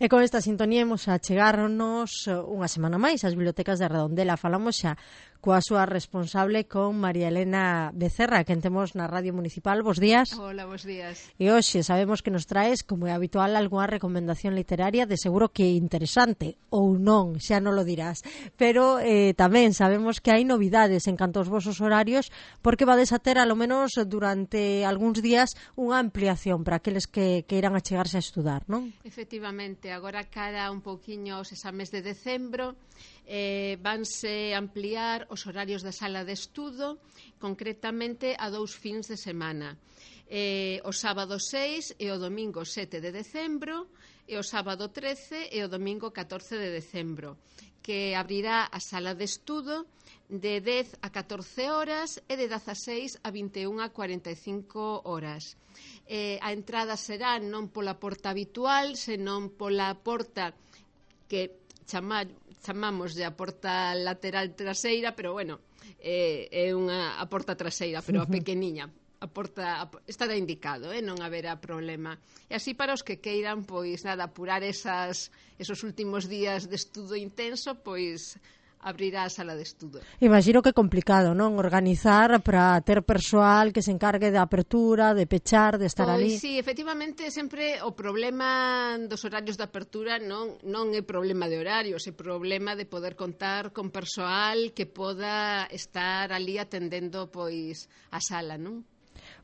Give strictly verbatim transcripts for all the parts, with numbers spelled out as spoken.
E con esta sintonía imos a chegarnos unha semana máis ás bibliotecas de Redondela. Falamos xa coa súa responsable, con María Elena Becerra, que temos na Radio Municipal. Bos días. Hola, bos días. E hoxe sabemos que nos traes, como é habitual, algunha recomendación literaria, de seguro que interesante, ou non, xa non lo dirás. Pero eh, tamén sabemos que hai novidades en canto aos vosos horarios, porque vades a ter, alo menos durante algúns días, unha ampliación para aqueles que queiran achegarse a estudar, non? Efectivamente, agora cara un pouquiño os exames de decembro, eh, vanse ampliar os horarios da sala de estudo, concretamente a dous fins de semana. Eh, o sábado seis e o domingo sete de decembro, e o sábado trece e o domingo catorce de decembro, que abrirá a sala de estudo de dez a catorce horas e de dezaseis a vinte e unha a cuarenta e cinco horas. Eh, a entrada será non pola porta habitual, senón pola porta que chama, chamamos de a porta lateral traseira, pero bueno, eh, é unha a porta traseira, pero a pequeniña. A porta a, estará indicado, eh, non haberá problema. E así para os que queiran, pois nada, apurar esas, esos últimos días de estudo intenso, pois abrirá a sala de estudo. Imagino que é complicado, non? Organizar para ter persoal que se encargue da apertura, de pechar, de estar pois, ali. Sí, efectivamente, sempre o problema dos horarios de apertura non, non é problema de horarios, é problema de poder contar con persoal que poda estar ali atendendo pois a sala, non?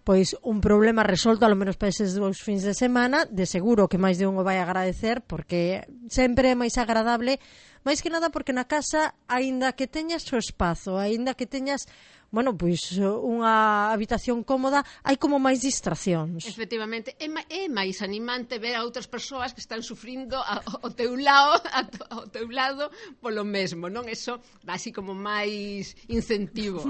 Pois un problema resolto, alo menos para eses dous fins de semana, de seguro que máis de un o vai agradecer, porque sempre é máis agradable, máis que nada porque na casa, aínda que teñas o espazo, aínda que teñas, bueno, pois unha habitación cómoda, hai como máis distraccións. Efectivamente, é, é máis animante ver a outras persoas que están sufrindo ao teu lado, ao teu lado polo mesmo, non? Eso dá así como máis incentivo.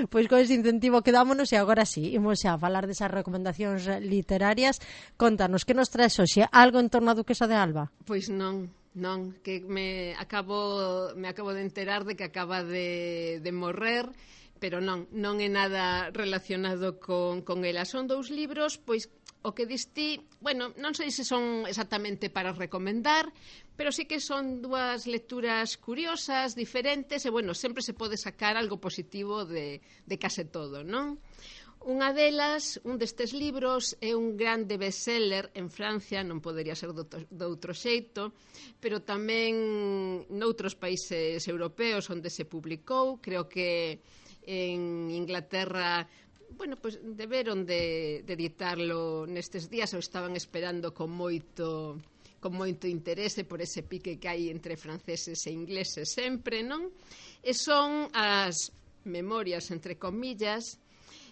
Pois con ese incentivo quedámonos, e agora sí, imos xa a falar desas recomendacións literarias. Contanos, que nos traes hoxe? Algo en torno a Duquesa de Alba? Pois non, non, que me acabo, me acabo de enterar de que acaba de, de morrer, pero non, non é nada relacionado con, con ela. Son dous libros, pois, o que distí, bueno, non sei se son exactamente para recomendar, pero sí que son dúas lecturas curiosas, diferentes, e, bueno, sempre se pode sacar algo positivo de, de case todo, non? Unha delas, un destes libros, é un grande bestseller en Francia, non podería ser do, do outro xeito, pero tamén noutros países europeos onde se publicou. Creo que en Inglaterra, bueno, pois deberon de, de editarlo nestes días, ou estaban esperando con moito con moito interese por ese pique que hai entre franceses e ingleses sempre, non? E son as memorias, entre comillas,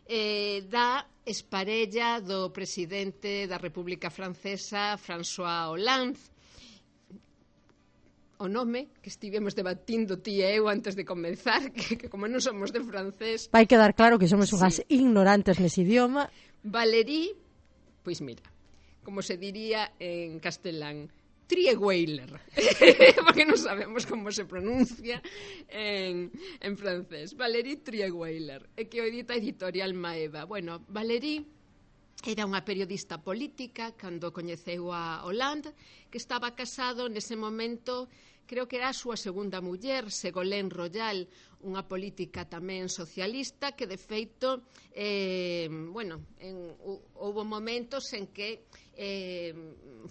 eh, da exparella do presidente da República Francesa, François Hollande. O nome que estivemos debatindo ti e eu antes de comenzar, que, que como non somos de francés... Vai quedar claro que somos unhas sí. ignorantes nese idioma. Valérie, pois mira, como se diría en castelán, Trierweiler, porque non sabemos como se pronuncia en, en francés. Valérie Trierweiler, e que o edita Editorial Maeva. Bueno, Valérie era unha periodista política cando coñeceu a Hollande, que estaba casado nese momento, creo que era a súa segunda muller, Ségolène Royal, unha política tamén socialista que de feito, eh, bueno, en, houve momentos en que eh,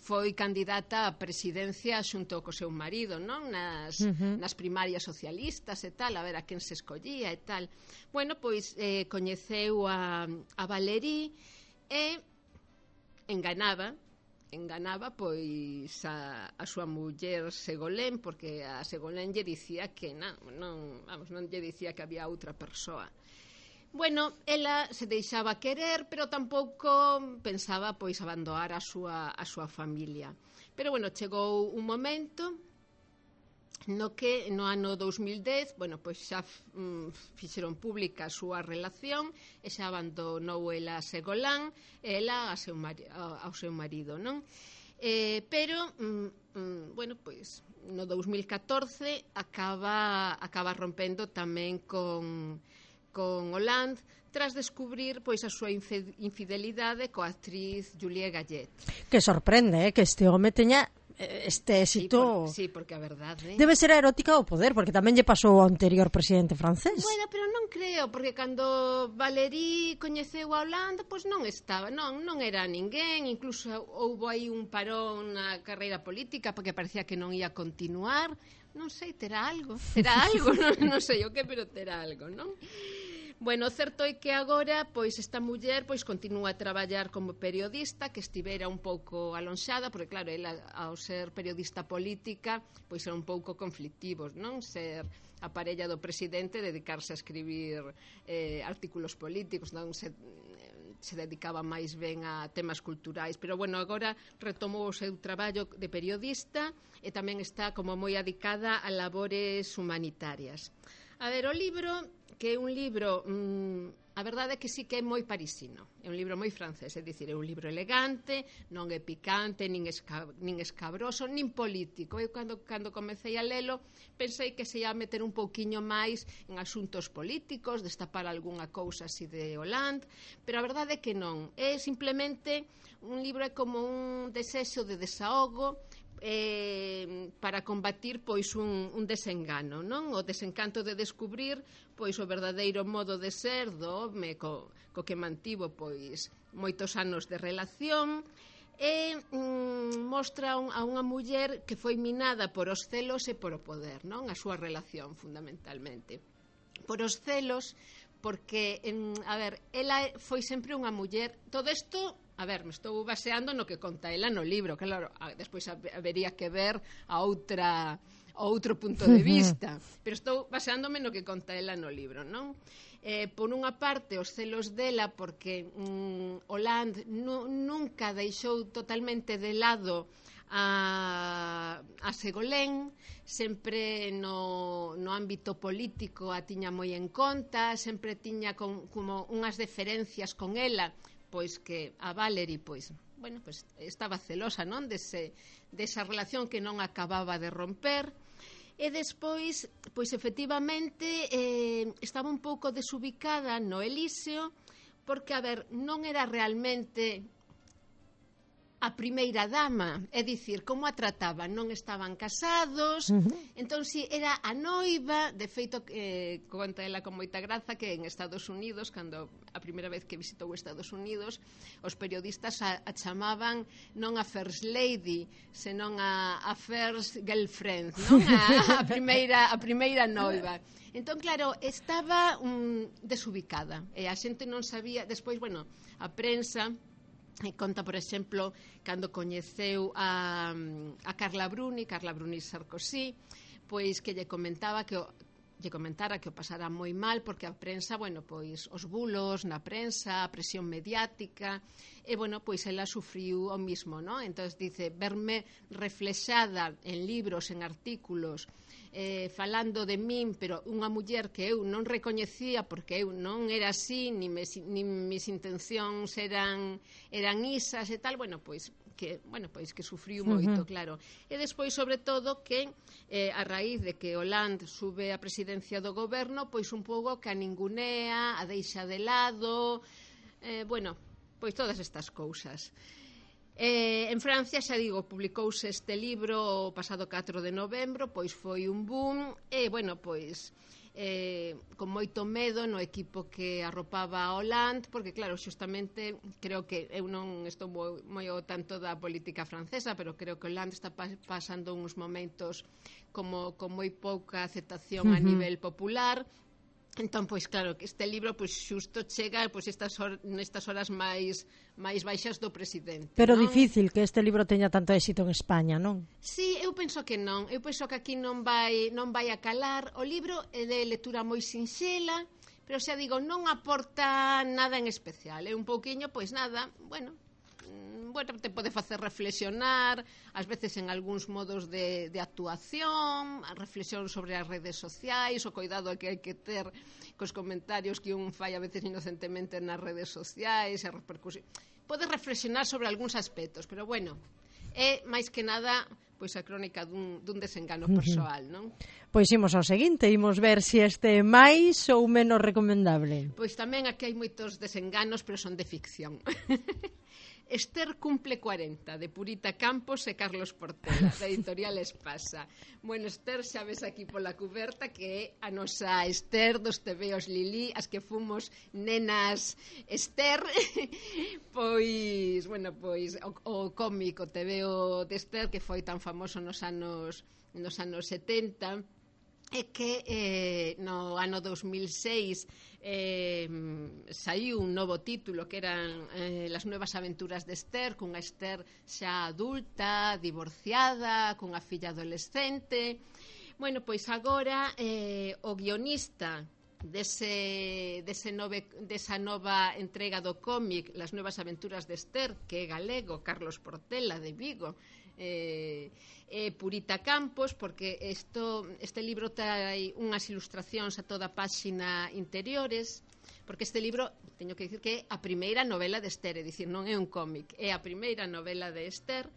foi candidata á presidencia xunto co seu marido, non? Nas, uh-huh. nas primarias socialistas e tal, a ver a quen se escollía e tal. Bueno, pois eh, coñeceu a, a Valérie e enganaba enganaba pois a, a súa muller Ségolène, porque a Ségolène lle dicía que non, non, vamos, non lle dicía que había outra persoa. Bueno, ela se deixaba querer, pero tampouco pensaba pois abandonar a súa, a súa familia. Pero bueno, chegou un momento no que no ano dous mil dez, bueno, pois xa mm, fixeron pública a súa relación e xa abandonou ela a Ségolène e ela a seu mari, a, ao seu marido, non? Eh, pero, mm, mm, bueno, pois no dous mil catorce acaba, acaba rompendo tamén con, con Hollande, tras descubrir pois a súa infidelidade coa actriz Julie Gallet. Que sorprende, eh, que este home teña este éxito. Sí, por, sí, porque a verdade... Debe ser a erótica ao poder, porque tamén lle pasou ao anterior presidente francés. Bueno, pero non creo, porque cando Valéry coñeceu a Hollande, pois non estaba, non, non era ninguén, incluso houbo aí un parón na carreira política, porque parecía que non ia continuar. Non sei, terá algo, terá algo, non, non sei o que, pero terá algo, non? Bueno, certo é que agora, pois, esta muller, pois, continúa a traballar como periodista, que estivera un pouco alonxada, porque, claro, ela, ao ser periodista política, pois, era un pouco conflictivo, non? Ser a parella do presidente, dedicarse a escribir eh, artículos políticos, non se... se dedicaba máis ben a temas culturais, pero bueno, agora retomou o seu traballo de periodista e tamén está como moi adicada a labores humanitarias. A ver, o libro, que é un libro, mmm, a verdade é que sí que é moi parisino, é un libro moi francés, é dicir, é un libro elegante, non é picante, nin, esca, nin escabroso, nin político. Eu cando, cando comecei a lelo pensei que se ia meter un pouquiño máis en asuntos políticos, destapar algunha cousa así de Hollande, pero a verdade é que non, é simplemente un libro, é como un desexo de desahogo, Eh, para combatir pois un, un desengano, non? O desencanto de descubrir pois o verdadeiro modo de ser do home co, co que mantivo pois moitos anos de relación e mm, mostra un, a unha muller que foi minada por os celos e por o poder, non? A súa relación fundamentalmente por os celos, porque en, a ver, ela foi sempre unha muller, todo isto a ver, me estou baseando no que conta ela no libro, claro, despois habería que ver a outra a outro punto de vista, pero estou baseándome no que conta ela no libro, non? Eh, por unha parte, os celos dela, porque mm, Hollande nu, nunca deixou totalmente de lado a, a Ségolène, sempre no, no ámbito político a tiña moi en conta, sempre tiña con, como unhas deferencias con ela, pois que a Valéry, pois, bueno, pois estaba celosa, non, dese, desa relación que non acababa de romper, e despois, pois efectivamente eh, estaba un pouco desubicada no Elíseo, porque, a ver, non era realmente a primeira dama, é dicir, como a trataban, non estaban casados, uh-huh. Entón si era a noiva, de feito, eh, conta ela con moita graza que en Estados Unidos, cando a primeira vez que visitou Estados Unidos, os periodistas a, a chamaban non a First Lady, senón a, a First Girlfriend, non? A, a, primeira, a primeira noiva. Entón, claro, estaba um, desubicada, e a xente non sabía, despois, bueno, a prensa... E conta, por exemplo, cando coñeceu a, a Carla Bruni, Carla Bruni Sarkozy, pois que lle comentaba que o, lle comentara que o pasara moi mal porque a prensa, bueno, pois os bulos na prensa, a presión mediática, e bueno, pois ela sufriu o mismo, ¿no? Entonces dice, verme reflexada en libros, en artículos, eh, falando de min, pero unha muller que eu non recoñecía porque eu non era así, ni, me, ni mis intencións eran, eran isas e tal, bueno, pois que, bueno, pois que sufriu moito, uh-huh. Claro. E despois, sobre todo, que eh, a raíz de que Hollande sube a presidencia do goberno, pois un pouco que a ningunea, a deixa de lado, eh, bueno, pois todas estas cousas. Eh, en Francia, xa digo, publicouse este libro o pasado catro de novembro, pois foi un boom, e, bueno, pois, eh, con moito medo no equipo que arropaba a Hollande, porque, claro, xustamente, creo que, eu non estou moi, moi ao tanto da política francesa, pero creo que Hollande está pa pasando uns momentos como con moi pouca aceptación uh-huh. a nivel popular. Entón, pois claro, que este libro pois xusto chega pois estas hor nestas horas máis máis baixas do presidente. Pero non? Difícil que este libro teña tanto éxito en España, non? Sí, eu penso que non. Eu penso que aquí non vai non vai a calar. O libro é de lectura moi sinxela, pero xa digo, non aporta nada en especial. É un pouquiño, pois nada, bueno, bueno, te pode facer reflexionar, ás veces en algúns modos de, de actuación, a reflexión sobre as redes sociais, o cuidado que hai que ter cos comentarios que un fai a veces inocentemente nas redes sociais, a repercusión. Pode reflexionar sobre algúns aspectos, pero bueno, é máis que nada pois a crónica dun, dun desengano persoal, non? Pois imos ao seguinte, imos ver se este é máis ou menos recomendable. Pois tamén aquí hai moitos desenganos, pero son de ficción. Esther cumple cuarenta, de Purita Campos e Carlos Portela, da editorial Espasa. Bueno, Esther, xa ves aquí pola cuberta que é a nosa Esther dos tebeos Lili, as que fomos nenas Esther, pois, bueno, pois o, o cómic, o tebeo de Esther, que foi tan famoso nos anos, nos anos setenta, é que eh, no ano dos mil seis eh, saiu un novo título que eran eh, Las nuevas aventuras de Esther, cunha Esther xa adulta, divorciada, cunha filla adolescente. Bueno, pois agora eh, o guionista dese, dese nove, desa nova entrega do cómic Las nuevas aventuras de Esther, que é galego, Carlos Portela, de Vigo, eh, eh, Purita Campos, porque esto, este libro trae unhas ilustracións a toda a páxina interiores, porque este libro, teño que dicir que é a primeira novela de Esther, é dicir, non é un cómic, é a primeira novela de Esther.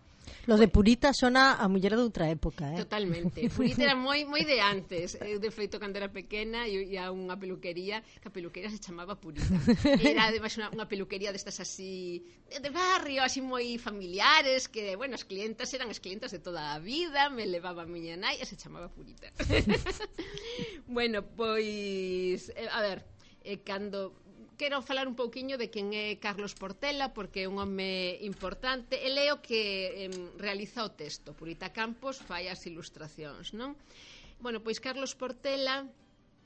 Lo de Purita sona a muller de outra época, eh? Totalmente. Purita era moi moi de antes. Eu, de feito, cando era pequena, ia a unha peluquería, que a peluquería se chamaba Purita. Era, además, unha, unha peluquería destas así, de, de barrio, así moi familiares, que, bueno, as clientas eran as clientas de toda a vida, me levaba a miña nai e se chamaba Purita. Bueno, pois, eh, a ver, eh, cando... Quero falar un pouquiño de quen é Carlos Portela, porque é un home importante. El é o que eh, realiza o texto. Purita Campos fai as ilustracións, non? Bueno, pois Carlos Portela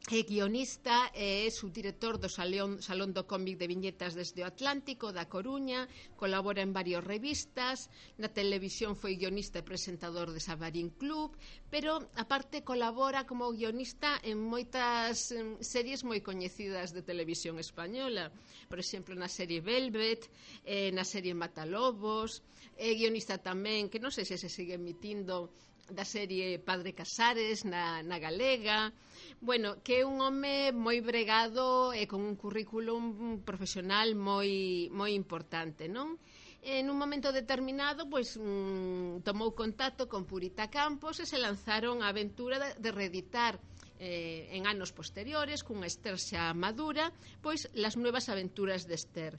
é guionista e é subdirector do Salón, Salón do Cómic de Viñetas desde o Atlántico, da Coruña, colabora en varias revistas, na televisión foi guionista e presentador de Sabarín Club, pero aparte colabora como guionista en moitas en, series moi coñecidas de televisión española, por exemplo na serie Velvet, eh, na serie Matalobos, é guionista tamén, que non sei se se sigue emitindo, da serie Padre Casares na, na galega. Bueno, que é un home moi bregado e con un currículum profesional moi, moi importante, non? En un momento determinado, pois, mm, tomou contacto con Purita Campos e se lanzaron a aventura de, de reeditar eh, en anos posteriores, cunha Esther xa madura, pois, Las nuevas aventuras de Esther.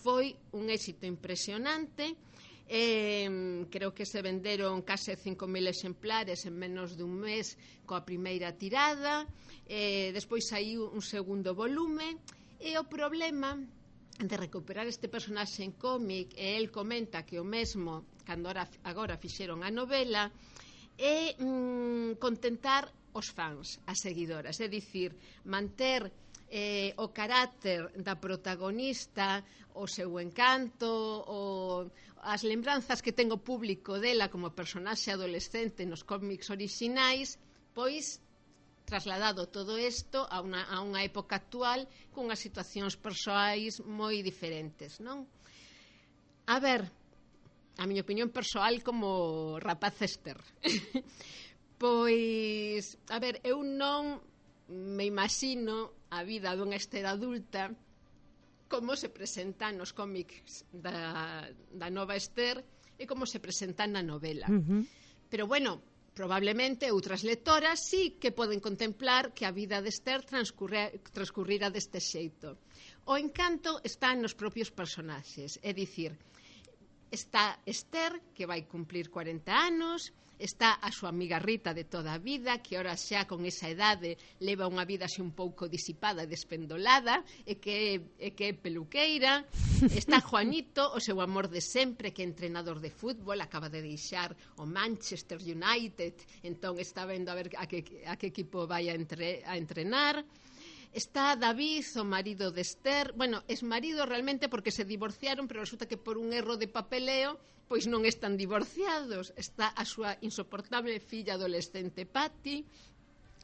Foi un éxito impresionante. Eh, creo que se venderon case cinco mil exemplares en menos dun mes coa primeira tirada, eh, despois saiu un segundo volume, e o problema de recuperar este personaxe en cómic, e el comenta que o mesmo cando agora, agora fixeron a novela, é mm, contentar os fans, as seguidoras, é dicir, manter eh, o carácter da protagonista, o seu encanto, o, as lembranzas que ten o público dela como personaxe adolescente nos cómics orixinais, pois trasladado todo isto a unha, a unha época actual cunhas situacións persoais moi diferentes, non? A ver, a miña opinión persoal como rapaz Esther. Pois, a ver, eu non me imagino a vida dunha Esther adulta como se presenta nos cómics da, da nova Esther e como se presenta na novela. Uh-huh. Pero, bueno, probablemente outras lectoras sí que poden contemplar que a vida de Esther transcurrira deste xeito. O encanto está nos propios personaxes, é dicir, está Esther, que vai cumplir cuarenta anos, está a súa amiga Rita de toda a vida, que ora xa con esa idade leva unha vida xe un pouco disipada e despendolada, e que, e que é peluqueira. Está Juanito, o seu amor de sempre, que é entrenador de fútbol, acaba de deixar o Manchester United, entón está vendo a ver a que, a que equipo vai a, entre, a entrenar. Está David, o marido de Esther. Bueno, es marido realmente porque se divorciaron, pero resulta que por un erro de papeleo pois non están divorciados. Está a súa insoportable filla adolescente Patty.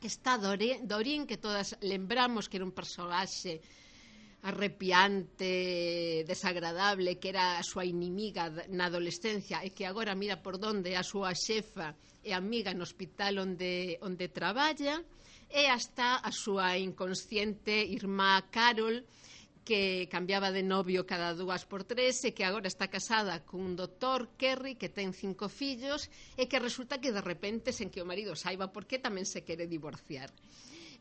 Está Dorín, que todas lembramos que era un personaxe arrepiante, desagradable, que era a súa inimiga na adolescencia e que agora mira por donde a súa xefa e amiga no hospital onde, onde traballa. E hasta a súa inconsciente irmá Carol, que cambiaba de novio cada dúas por tres e que agora está casada cun doutor Kerry que ten cinco fillos e que resulta que de repente, sen que o marido saiba por qué, tamén se quere divorciar.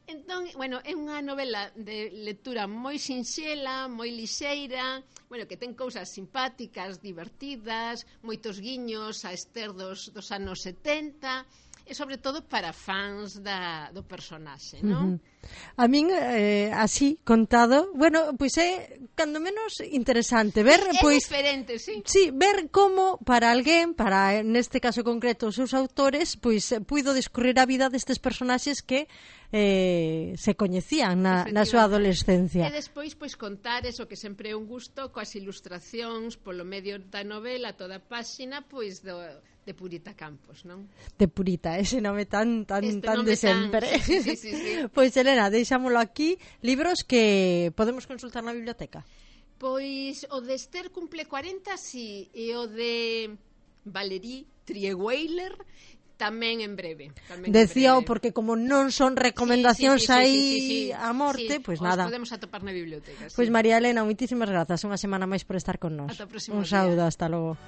Entón, bueno, é unha novela de lectura moi sinxela, moi lixeira, bueno, que ten cousas simpáticas, divertidas, moitos guiños a Esther dos, dos anos setenta, e sobre todo para fans da, do personaxe, non? Uh-huh. A min, eh, así, contado, bueno, pois é, cando menos, interesante ver, é pois... diferente, sí. Sí, ver como para alguén, para, neste caso concreto, os seus autores, pois, puido discurrir a vida destes personaxes que eh, se coñecían na, na súa adolescencia. E despois, pois, contar eso que sempre é un gusto, coas ilustracións, polo medio da novela, toda a páxina, pois, do... de Purita Campos, non? De Purita, ese nome tan tan este tan nome de sempre. Tan... Sí, sí, sí, sí. Pois, Elena, deixámolo aquí. Libros que podemos consultar na biblioteca? Pois o de Esther cumple cuarenta, sí, e o de Valérie Trierweiler tamén en breve. Decíao porque como non son recomendacións sí, sí, sí, aí sí, sí, sí, sí. a morte, sí, pois os nada. Podemos atopar na biblioteca. Pois sí. María Elena, moitísimas grazas, unha semana máis por estar con nós. Ata o próximo Un saúdo, día. hasta logo.